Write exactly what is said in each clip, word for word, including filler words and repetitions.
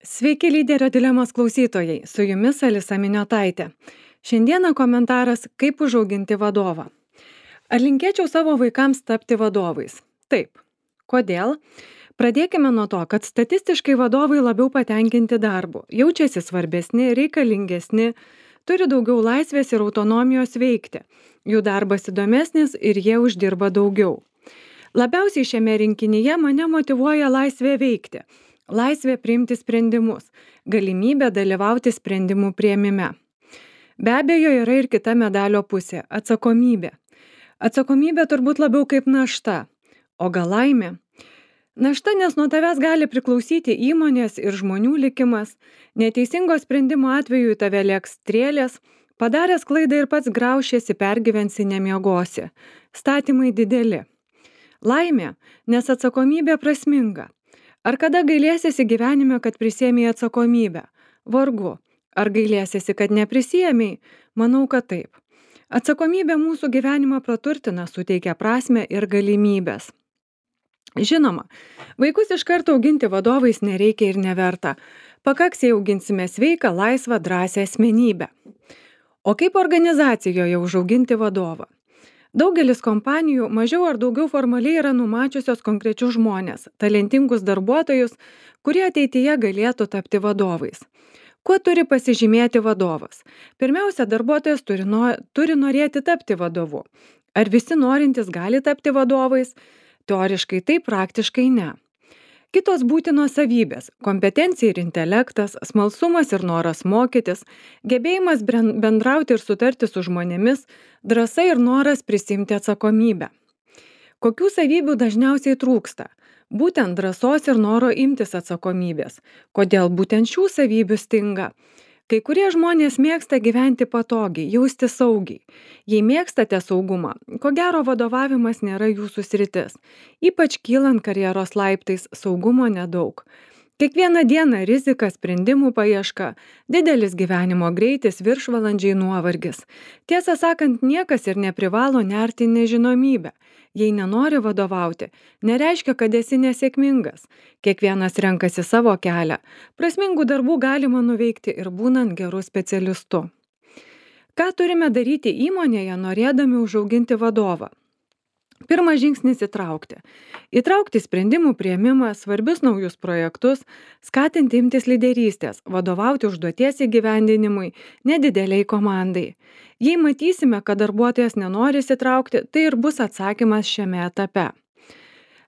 Sveiki lyderio dilemos klausytojai, su jumis Alisa Miniotaitė. Šiandieną komentaras kaip užauginti vadovą. Ar linkėčiau savo vaikams tapti vadovais? Taip. Kodėl? Pradėkime nuo to, kad statistiškai vadovai labiau patenkinti darbu, jaučiasi svarbesni, reikalingesni, turi daugiau laisvės ir autonomijos veikti. Jų darbas įdomesnis ir jie uždirba daugiau. Labiausiai šiame rinkinyje mane motyvuoja laisvė veikti. Laisvė priimti sprendimus, galimybė dalyvauti sprendimų priėmime. Be abejo, yra ir kita medalio pusė – atsakomybė. Atsakomybė turbūt labiau kaip našta, o gal laimė? Našta, nes nuo tavęs gali priklausyti įmonės ir žmonių likimas, neteisingo sprendimo atveju į tave lėks strėlės, padaręs klaidą ir pats graušiesi, pergyvensi, nemiegosi. Statymai dideli. Laimė, nes atsakomybė prasminga. Ar kada gailėsiesi gyvenime, kad prisėmei atsakomybę? Vargu. Ar gailėsiesi, kad neprisėmei? Manau, kad taip. Atsakomybė mūsų gyvenimą praturtina, suteikia prasmę ir galimybės. Žinoma, vaikus iš karto auginti vadovais nereikia ir neverta. Pakaks, jei auginsime sveiką, laisvą, drąsią asmenybę. O kaip organizacijoje užauginti vadovą? Daugelis kompanijų mažiau ar daugiau formaliai yra numačiusios konkrečius žmonės, talentingus darbuotojus, kurie ateityje galėtų tapti vadovais. Kuo turi pasižymėti vadovas? Pirmiausia, darbuotojas turi, no, turi norėti tapti vadovu. Ar visi norintys gali tapti vadovais? Teoriškai taip, praktiškai ne. Kitos būtinos savybės – kompetencija ir intelektas, smalsumas ir noras mokytis, gebėjimas bendrauti ir sutarti su žmonėmis, drąsa ir noras prisimti atsakomybę. Kokių savybių dažniausiai trūksta? Būtent drąsos ir noro imtis atsakomybės. Kodėl būtent šių savybių stinga? Kai kurie žmonės mėgsta gyventi patogiai, jausti saugiai. Jei mėgstate saugumą, ko gero vadovavimas nėra jūsų sritis. Ypač kylant karjeros laiptais, saugumo nedaug. Kiekvieną dieną rizika, sprendimų paieška, didelis gyvenimo greitis, viršvalandžiai, nuovargis. Tiesą sakant, niekas ir neprivalo nerti nežinomybę. Jei nenori vadovauti, nereiškia, kad esi nesėkmingas. Kiekvienas renkasi savo kelią. Prasmingų darbų galima nuveikti ir būnant geru specialistu. Ką turime daryti įmonėje, norėdami užauginti vadovą? Pirmas žingsnis įtraukti. Įtraukti sprendimų priėmimą, svarbius naujus projektus, skatinti imtis lyderystės, vadovauti užduoties įgyvendinimui, nedideliai komandai. Jei matysime, kad darbuotojas nenori įsitraukti, tai ir bus atsakymas šiame etape.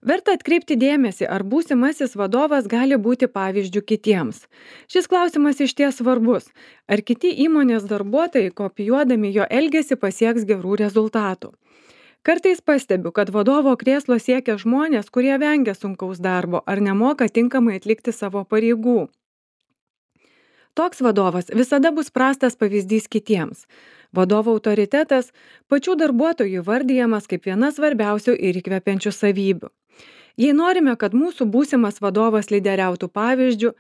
Verta atkreipti dėmesį, ar būsimasis vadovas gali būti pavyzdžių kitiems. Šis klausimas išties svarbus. Ar kiti įmonės darbuotojai, kopijuodami jo elgesį, pasieks gerų rezultatų? Kartais pastebiu, kad vadovo krėslo siekia žmonės, kurie vengia sunkaus darbo ar nemoka tinkamai atlikti savo pareigų. Toks vadovas visada bus prastas pavyzdys kitiems. Vadovo autoritetas pačių darbuotojų vardijamas kaip viena svarbiausių ir įkvepiančių savybių. Jei norime, kad mūsų būsimas vadovas lyderiautų pavyzdžių,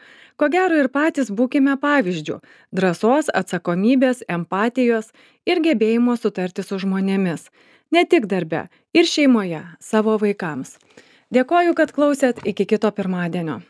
ko gero ir patys būkime pavyzdžių – drąsos, atsakomybės, empatijos ir gebėjimo sutarti su žmonėmis. Ne tik darbe, ir šeimoje, savo vaikams. Dėkoju, kad klausėt, iki kito pirmadienio.